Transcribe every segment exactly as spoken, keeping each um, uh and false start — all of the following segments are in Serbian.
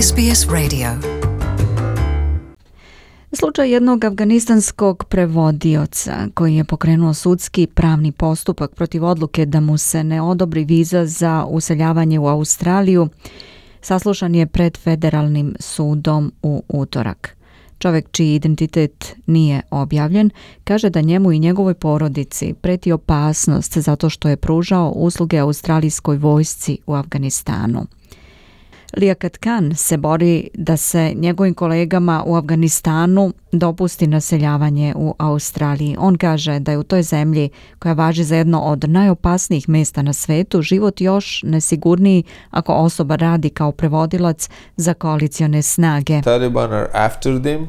S B S Radio. Slučaj jednog afganistanskog prevodioca koji je pokrenuo sudski pravni postupak protiv odluke da mu se ne odobri viza za useljavanje u Australiju saslušan je pred federalnim sudom u utorak. Čovjek čiji identitet nije objavljen kaže da njemu i njegovoj porodici preti opasnost zato što je pružao usluge australijskoj vojsci u Afganistanu. Liaquat Khan se bori da se njegovim kolegama u Afganistanu dopusti naseljavanje u Australiji. On kaže da je u toj zemlji, koja važi za jedno od najopasnijih mjesta na svetu, život još nesigurniji ako osoba radi kao prevodilac za koalicione snage. Taliban are after them.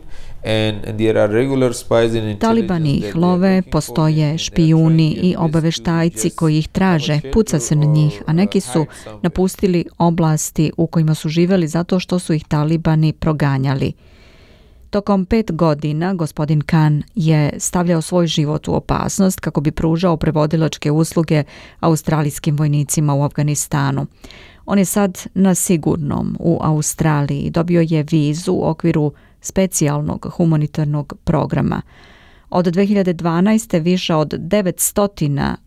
Talibani ih love, postoje špijuni i obaveštajci koji ih traže, puca se na njih, a neki su napustili oblasti u kojima su živjeli zato što su ih talibani proganjali. Tokom pet godina gospodin Khan je stavljao svoj život u opasnost kako bi pružao prevodilačke usluge australijskim vojnicima u Afganistanu. On je sad na sigurnom u Australiji, dobio je vizu u okviru specijalnog humanitarnog programa. Od dve hiljade dvanaeste više od devetsto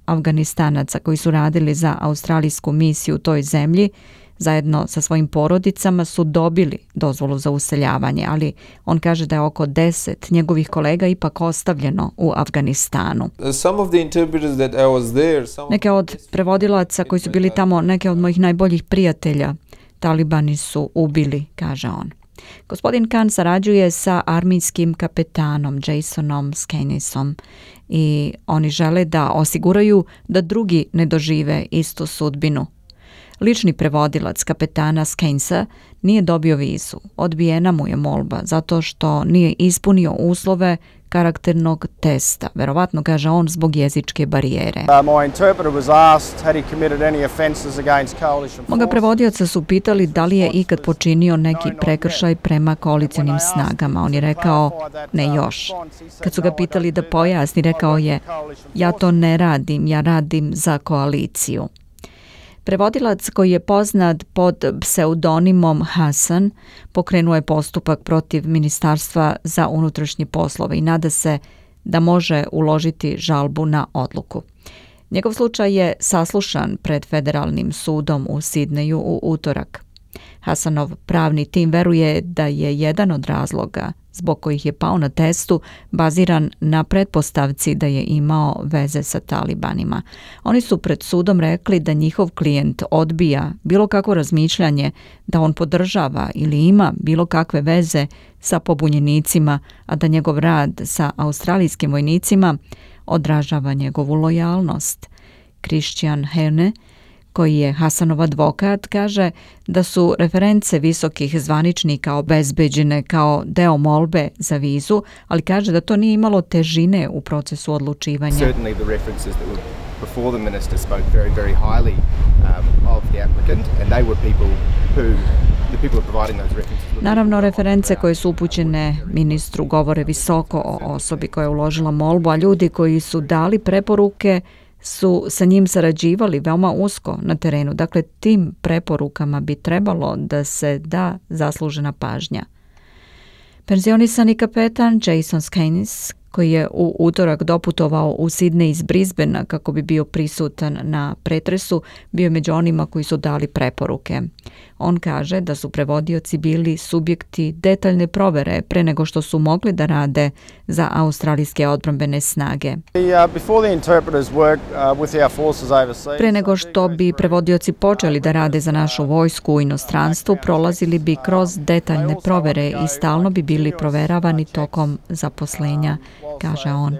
Afganistanaca koji su radili za australijsku misiju u toj zemlji zajedno sa svojim porodicama su dobili dozvolu za useljavanje, ali on kaže da je oko deset njegovih kolega ipak ostavljeno u Afganistanu. Neke od prevodilaca koji su bili tamo, neke od mojih najboljih prijatelja, talibani su ubili, kaže on. Gospodin Khan sarađuje sa armijskim kapetanom Jasonom Skenisom i oni žele da osiguraju da drugi ne dožive istu sudbinu. Lični prevodilac kapetana Skenisa nije dobio vizu. Odbijena mu je molba zato što nije ispunio uslove karakternog testa. Verovatno, kaže on, zbog jezičke barijere. Moga prevodioca su pitali da li je ikad počinio neki prekršaj prema koalicionim snagama. On je rekao ne još. Kad su ga pitali da pojasni, rekao je ja to ne radim, ja radim za koaliciju. Prevodilac koji je poznat pod pseudonimom Hasan pokrenuo je postupak protiv Ministarstva za unutrašnje poslove i nada se da može uložiti žalbu na odluku. Njegov slučaj je saslušan pred federalnim sudom u Sidneju u utorak. Hasanov pravni tim veruje da je jedan od razloga zbog kojih je pao na testu baziran na pretpostavci da je imao veze sa talibanima. Oni su pred sudom rekli da njihov klijent odbija bilo kakvo razmišljanje da on podržava ili ima bilo kakve veze sa pobunjenicima, a da njegov rad sa australijskim vojnicima odražava njegovu lojalnost. Christian Herne, koji je Hasanov advokat, kaže da su reference visokih zvaničnika obezbeđene kao deo molbe za vizu, ali kaže da to nije imalo težine u procesu odlučivanja. Naravno, reference koje su upućene ministru govore visoko o osobi koja je uložila molbu, a ljudi koji su dali preporuke su sa njim sarađivali veoma usko na terenu. Dakle, tim preporukama bi trebalo da se da zaslužena pažnja. Penzionisani kapetan Jason Skenis, koji je u utorak doputovao u Sidney iz Brisbanea kako bi bio prisutan na pretresu, bio je među onima koji su dali preporuke. On kaže da su prevodioci bili subjekti detaljne provere pre nego što su mogli da rade za australijske odbrambene snage. Pre nego što bi prevodioci počeli da rade za našu vojsku u inostranstvu, prolazili bi kroz detaljne provere i stalno bi bili proveravani tokom zaposlenja, kaže on.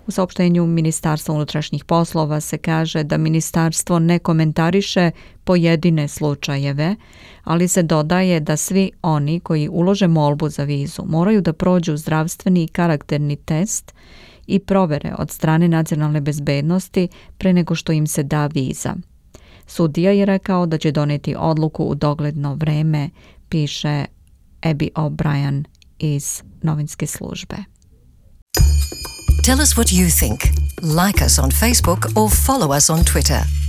U saopštenju Ministarstva unutrašnjih poslova se kaže da ministarstvo ne komentariše pojedine slučajeve, ali se dodaje da svi oni koji ulože molbu za vizu moraju da prođu zdravstveni i karakterni test i provere od strane nacionalne bezbednosti pre nego što im se da viza. Sudija je rekao da će doneti odluku u dogledno vreme, piše Abby O'Brien iz novinske službe. Tell us what you think. Like us on Facebook or follow us on Twitter.